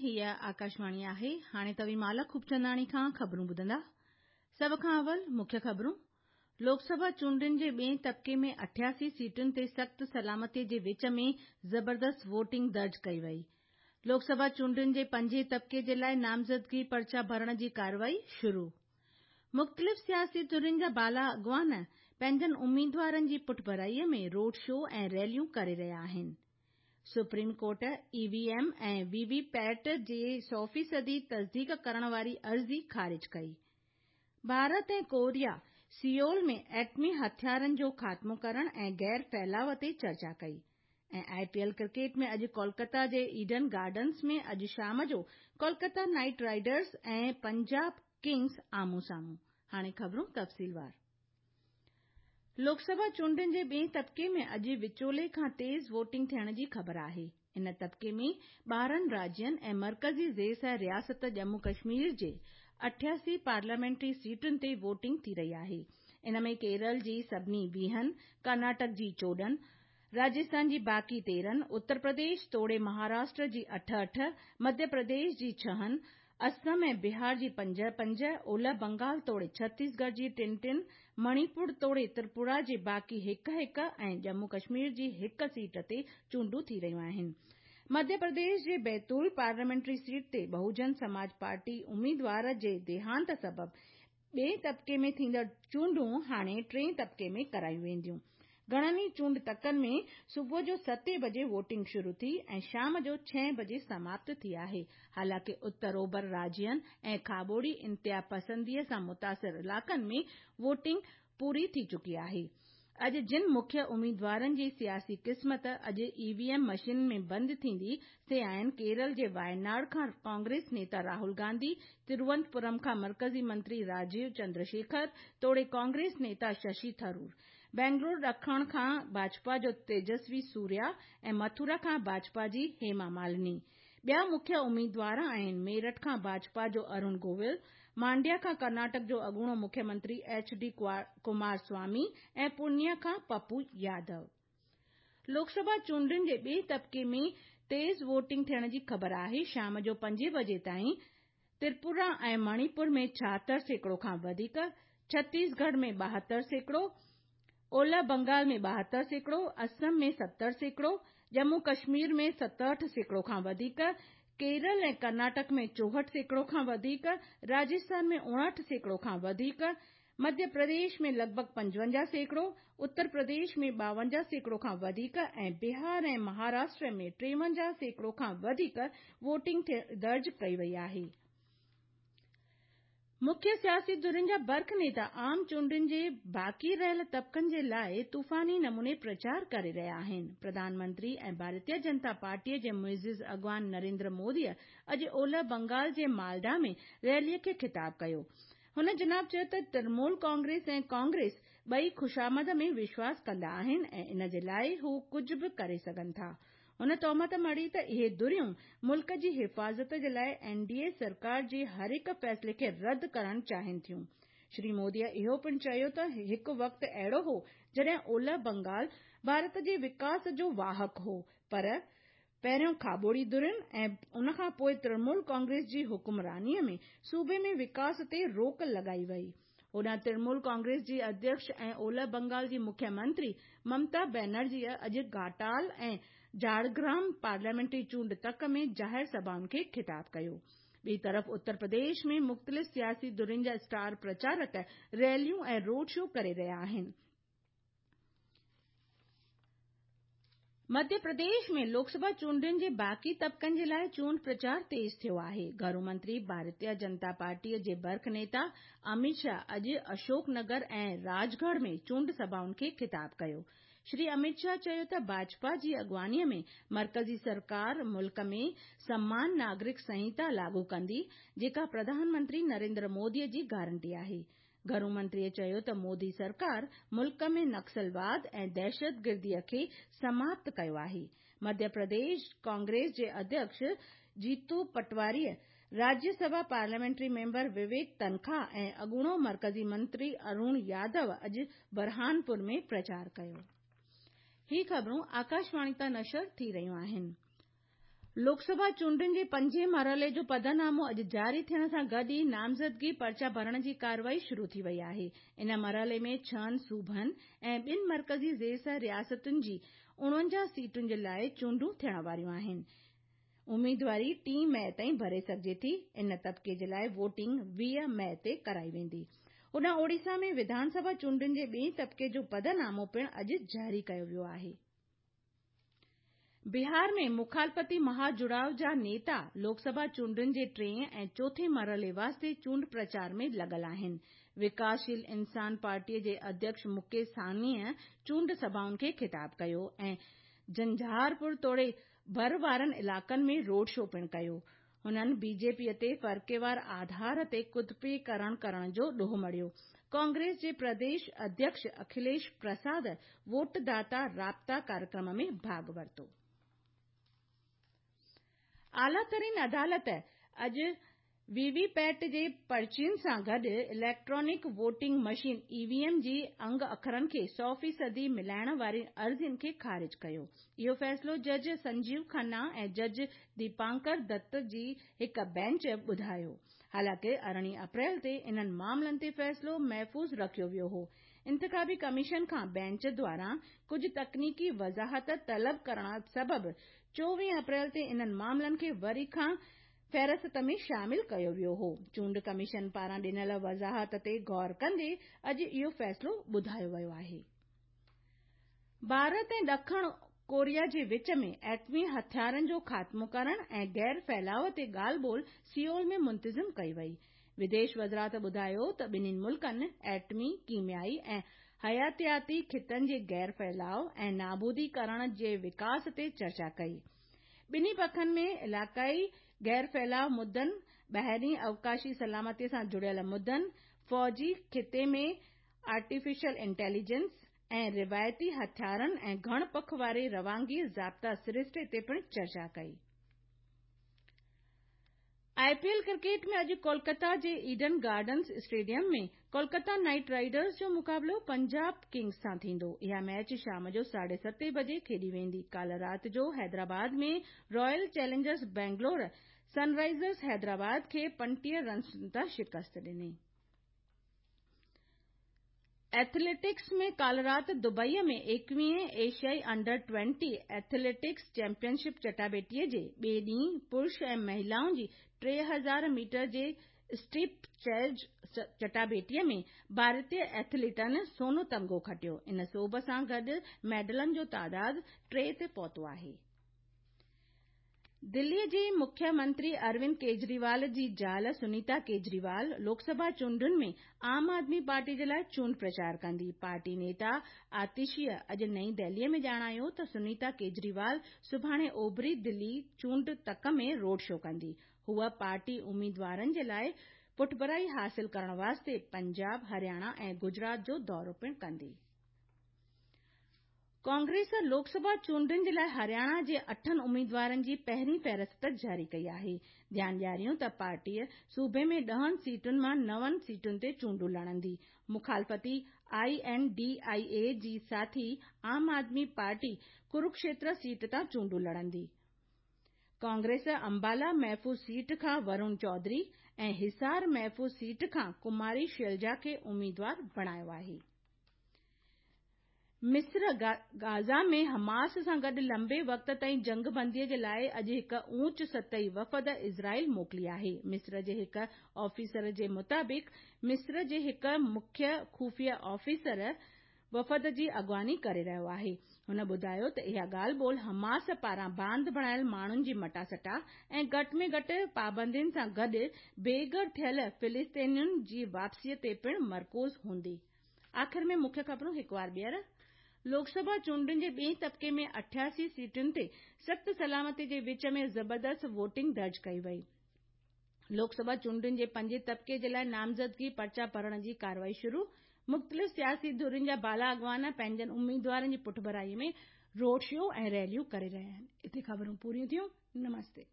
هيء آڪاشواڻي آهي. هاڻي توهين مالا خوبچنداڻي کان خبرون ٻڌندا. سڀ کان اول مکيه خبرون. لوڪ سڀا چونڊن جي ٻئين طبقي ۾ 88 سيٽن تي سخت سلامتي جي وچ ۾ زبردست ووٽنگ درج ڪئي وئي. لوڪ سڀا چونڊن جي پنجين طبقي جي لاء نامزدگي پرچا ڀرڻ جي ڪارروائي شروع. مختلف سياسي ڌرين جا بالا اڳواڻ پنهنجن اميدوارن جي پٺڀرائي ۾ روڊ شو ۽ ريليون ڪري رهيا آهن. Supreme court E V M ۽ V V PAT جي سئو فيصدي تصديق ڪرڻ واري عرضي خارج ڪئي. ڀارت ۽ ڪوريا سيئول ۾ ايٽمي هٿيارن جو خاتمو ڪرڻ ۽ غير ڦهلاء تي چرچا ڪئي ۽ آء پي ايل ڪرڪيٽ ۾ اڄ ڪولڪتا جي ايڊن گارڊنز ۾ اڄ شام جو Kolkata Knight Riders ۽ Punjab Kings آمهون سامهون. هاڻي خبرون تفصيلوار. لوڪ سڀا چونڊن جي ٻئين طبقي ۾ اڄ وچولي کان تيز ووٽنگ ٿيڻ جي خبر آهي. ان طبقي ۾ 12 راجين ۽ مرڪزي زير رياست ڄمون ڪشمير جي 88 پارليامينٽري سيٽن تي ووٽنگ ٿي رهي آهي. ان ۾ ڪيرل جي سڀني 20، ڪرناٽڪ جي 14، راجسٿان جي باقي 13، اتر پرديش توڙي مهاراشٽر جي 8 8، مڌيه پرديش جي ڇهن، اسم ۽ بهار جي 5 5، اولهه بنگال توڙي ڇتيسڳڙهه جي 3 3، مڻيپور توڙي تريپورا جي باقي 1 1 ۽ ڄمون ڪشمير جي هڪ سيٽ تي چونڊون ٿي رهيون آهن. مڌيه پرديش جي بيتول پارليامينٽري سيٽ تي بهوجن سماج پارٽي اميدوار جي ديهانت سبب ٻئين طبقي ۾ ٿيندڙ چونڊون هاڻي ٽئين طبقي ۾ ڪرايون وينديون. گهڻن ئي چونڊ تڪن ۾ صبح جو ستين بجي ووٽنگ شروع ٿي ۽ شام جو ڇهين بجي سماپت ٿي آهي. حالانڪه اتر اوڀر راجين ۽ کاٻوڙي انتهاپسندي سان متاثر علائقن ۾ ووٽنگ پوري ٿي چڪي آهي. اڄ جن مکيه اميدوارن جي سياسي قسمت اڄ اي وي ايم مشينن ۾ بند ٿيندي سي آهن ڪيرل جي وايناڙ کان ڪانگريس نيتا راهول گانڌي، تروونتپورم کان مرڪزي منتري راجيو چندرشيکر توڙي ڪانگريس نيتا ششي ٿرور، بينگلور ڏکڻ کان ڀاجپا جو تيجسوي سوريا ۽ مٿورا کان ڀاجپا جي هيما مالني. ٻيا مکيه اميدوار آهن ميرٺ کان ڀاجپا جو ارون گويل، مانڊيا کان ڪرناٽڪ جو اڳوڻو مکيه منتري ايڇ ڊي ڪمار سوامي ۽ پورنيا کان پپو يادو. لوڪ سڀا چونڊن جي ٻئي طبقي ۾ تيز ووٽنگ ٿيڻ جي خبر آهي. شام جو پنجين بجي تائين تريپورا ۽ مڻيپور ۾ 76% کان وڌيڪ، ڇتيسڳڙهه ۾ 72%، اولهه بنگال ۾ 72%، اسم ۾ 70%، ڄمون ڪشمير ۾ 67% کان وڌيڪ، ڪيرل ۽ ڪرناٽڪ ۾ 64% کان وڌيڪ، راجسٿان ۾ 59% کان وڌيڪ، مڌيه پرديش ۾ لڳ ڀڳ 55%، اتر پرديش ۾ 52% کان وڌيڪ ۽ بهار ۽ مهاراشٽر ۾ 53% کان وڌيڪ ووٽنگ درج ڪئي وئي آهي. مکيه سياسي ڌرين جا برک نيتا عام چونڊن جي باقي رهيل طبقن جي لاء طوفاني نموني پرچار ڪري رهيا آهن. پرڌان منتري ۽ ڀارتيه جنتا پارٽيء جي معزز اڳواڻ نريندر موديء اڄ اولهه بنگال جي مالڊا ۾ ريليء کي خطاب ڪيو. هن جناب چيو ته ترنمول ڪانگريس ۽ ڪانگريس ٻئي خوشامد ۾ وشواس ڪندا آهن ۽ ان جي لاء هو ڪجهه به ڪري سگهن ٿا. هن تهمت مڙهي ته اهي ڌريون ملڪ جي حفاظت جي لاء اين ڊي اي سرڪار جي هر هڪ فيصلي کي رد ڪرڻ چاهين ٿيون. شري موديء اهو پڻ چيو ته هڪ وقت اهڙو هو جڏهن اولهه بنگال ڀارت جي وڪاس جو واهڪ هو پر پهريون کاٻوڙي ڌرين ۽ ان کان پوء ترنمول ڪانگريس جي حڪمرانيء ۾ صوبي ۾ وڪاس تي روڪ لڳائي وئي. هوڏانهن ترنمول ڪانگريس جي اڌيڪش ۽ اولهه بنگال جي مکيه منتري ممتا بينرجيء اڄ گهاٽال ۽ جهاڙگرام پارليامينٽري چونڊ تڪ ۾ ظاهر سڀائن کي خطاب ڪيو. ٻئي طرف اتر پرديش ۾ مختلف سياسي ڌرين جا اسٽار پرچارڪ ريليون ۽ روڊ شو ڪري رهيا آهن. مڌيه پرديش ۾ لوڪ سڀا چونڊن جي باقي طبقن جي لاء چونڊ پرچار تيز ٿيو آهي. گهرو منتري ڀارتيه جنتا پارٽيء جي برک نيتا اميت شاهه اڄ اشوڪ نگر ۽ راجڳڙهه ۾ چونڊ سڀائن کي خطاب ڪيو. شري اميت شاهه چيو ته ڀاجپا جي اڳواڻيء ۾ مرڪزي سرڪار ملڪ ۾ سمان ناگرڪ سنهتا لاڳو ڪندي، جيڪا پرڌان منتري نريندر موديء جي گارنٽي آهي. گهرو منتريء چيو ته مودي سرڪار ملڪ ۾ نڪسلواد ۽ دهشتگرديء کي سماپت ڪيو آهي. مڌيه پرديش ڪانگريس جي اڌيڪش جيتو پٽواري، راجيه سڀا پارليامينٽري ميمبر وويڪ تنکا ۽ اڳوڻو مرڪزي منتري ارون يادو اڄ برهانپور ۾ پرچار ڪيو. هي خبرون آڪاشواڻي تان نشر ٿي رهيون آهن. لوڪسڀا چونڊن جي پنجين مرحلي جو پڌرنامو اڄ جاري ٿيڻ سان گڏ ئي نامزدگي پرچا ڀرڻ جي ڪارروائي شروع ٿي وئي آهي. ان مرحلي ۾ ڇهن صوبن ۽ ٻن مرڪزي زير رياستن جي 49 سيٽن جي لاء چونڊون ٿيڻ واريون آهن. اميدواري 3 مئي تائين ڀري سگهجي ٿي. ان طبقي جي لاء ووٽنگ 20 مئي تي ڪرائي ويندي. هوڏانهن اوڙيسا ۾ وڌانسڀا چونڊن جي ٻئين طبقي جو پڌرنامو پڻ اڄ جاري ڪيو ويو آهي. بهار ۾ مخالفتي مها جڙاء جا نيتا لوڪسڀا چونڊن جي ٽئين ۽ چوٿين مرحلي واسطي چونڊ پرچار ۾ لڳل آهن. وڪاسشيل انسان پارٽيء جي اڌيڪش مڪيش ساهنيء چونڊ سڀائن کي خطاب ڪيو ۽ جهنجهارپور توڙي ڀر وارن علائقن ۾ روڊ شو پڻ ڪيو. هنن بي جي پي تي فرقيوار آڌار تي قطبيڪرڻ ڪرڻ جو ڏوهه مڙهيو. ڪانگريس جي پرديش اڌيڪش اکليش پرساد ووٽ داتا رابطا ڪاريڪرم ۾ ڀاڳ ورتو. اعليٰ ترين عدالت اڄ وي وي پيٽ جي پرچين سان گڏ electronic voting machine, E V M, جي انگ اکرن کي سؤ فيصدي ملائڻ وارين عرضين کي خارج ڪيو. اهو فيصلو جج سنجيو کنا ۽ جج ديپانڪر دت جي هڪ بينچ ٻڌايو. حالانڪه 18 اپريل تي انهن معاملن تي فيصلو محفوظ رکيو ويو هو. انتخابي ڪميشن کان بينچ دواران ڪجهه تڪنيڪي وضاحت طلب ڪرڻ سبب 24 اپريل تي انهن معاملن کي وري کان فهرست ۾ شامل ڪيو ويو هو. چونڊ ڪميشن پاران ڏنل وضاحت تي غور ڪندي اڄ اهو فيصلو ٻڌايو ويو آهي. ڀارت ۽ ڏکڻ ڪوريا جي وچ ۾ ايٽمي هٿيارن جو خاتمو ڪرڻ ۽ غير ڦهلاء تي ڳالهه ٻولهه سيئول ۾ منتظم ڪئي وئي. وديش وزارت ٻڌايو ته ٻنهي ملڪن ايٽمي، ڪيميائي ۽ حياتياتي خطن جي غير ڦهلاء ۽ نابودي ڪرڻ جي وڪاس تي چرچا ڪئي. ٻنهي پکن ۾ علائقائي غير ڦهلاء مدن، ٻاهرين اوقاشي سلامتي سان جڙيل مدن، فوجي خطي ۾ آرٽيفيشل انٽيليجنس ۽ روايتي هٿيارن ۽ گهڻ پک واري روانگي ضابطا سرشتي تي پڻ چرچا ڪئي. آء پي ايل ڪرڪيٽ ۾ اڄ ڪولڪتا جي Eden Gardens stadium ۾ Kolkata Knight Riders جو مقابلو پنجاب ڪنگز سان ٿيندو. اها ميچ شام جو ساڍي ستين بجي کيڏي ويندي. ڪالهه رات جو Hyderabad ۾ Royal Challengers Bangalore Sunrisers Hyderabad کي 35 رنسن تان شڪست ڏني. ايٿليٽڪس ۾ ڪالهه رات دبئي ۾ ايڪويهين ايشيائي انڊر 20 ايٿليٽڪس چيمپيئن شپ چٽاڀيٽي جي ٻئي ڏينهن پرش ۽ مهلائن جي 3000 ميٽر جي اسٽيپ چيز چٽاڀيٽي ۾ ڀارتي ايٿليٽن سونو تمغو کٽيو. ان سوڀ سان گڏ ميڊلن جو تعداد 3 تي پهتو آهي. دلي جي مکيه منتري اروند ڪيجريوال جي زال سنيتا ڪيجريوال لوڪسڀا چونڊن ۾ عام آدمي پارٽي جي لاء چونڊ پرچار ڪندي. پارٽي نيتا آتشيء اڄ نئين دهلي ۾ ڄاڻايو ته سنيتا ڪيجريوال سڀاڻي اوڀري دلي چونڊ تڪ ۾ روڊ شو ڪندي. هوء پارٽي اميدوارن جي لاء پٺڀرائي حاصل ڪرڻ واسطي پنجاب، هرياڻا ۽ گجرات جو دورو پڻ ڪندي. ڪانگريس لوڪسڀا چونڊن جي لاء هرياڻا جي اٺن اميدوارن جي پهرين فهرست جاري ڪئي آهي. ڌيان ڏياريون ته پارٽي صوبي ۾ ڏهن سيٽن مان نون سيٽن تي چونڊون لڙندي. مخالفتي I N D I اي جي ساٿي عام آدمي پارٽي ڪروڪشيتر سيٽ تان چونڊون لڙندي. ڪانگريس امبالا محفوظ سيٽ کان ورون چوڌري ۽ حصار محفوظ سيٽ کان ڪماري شيلجا کي اميدوار بڻايو آهي. مصر غازه ۾ حماس سان گڏ لنبي وقت تائين جنگ بندي جي لاء اڄ هڪ اوچ سطحي وفد اسرائيل موڪلي آهي. مصر جي هڪ آفيسر جي مطابق مصر جي هڪ مکيه خفيه آفيسر وفد جي اڳواڻي ڪري رهيو آهي. هن ٻڌايو ته اها ڳالهه ٻولهه حماس پاران باند بڻايل ماڻهن جي مٽاسٽا ۽ گهٽ ۾ گهٽ پابندين سان گڏ بي گهر ٿيل فلسطينين جي واپسي تي پڻ مرڪوز هوندي. آخر ۾ مکيه خبرون هڪ وار ٻيهر. لوڪسڀا چونڊن جي ٻئين طبقي ۾ 88 سيٽن تي سخت سلامتي جي وچ ۾ زبردست ووٽنگ درج ڪئي وئي. لوڪسڀا چونڊن جي پنجين طبقي جي لاء نامزدگي پرچا ڀرڻ جي ڪارروائي شروع. مختلف سياسي ڌرين جا بالا اڳواڻ پنهنجن اميدوارن جي پٺڀرائي ۾ روڊ شو ۽ ريليون ڪري رهيا آهن. اتي خبرون پوريون ٿيون. نمستي.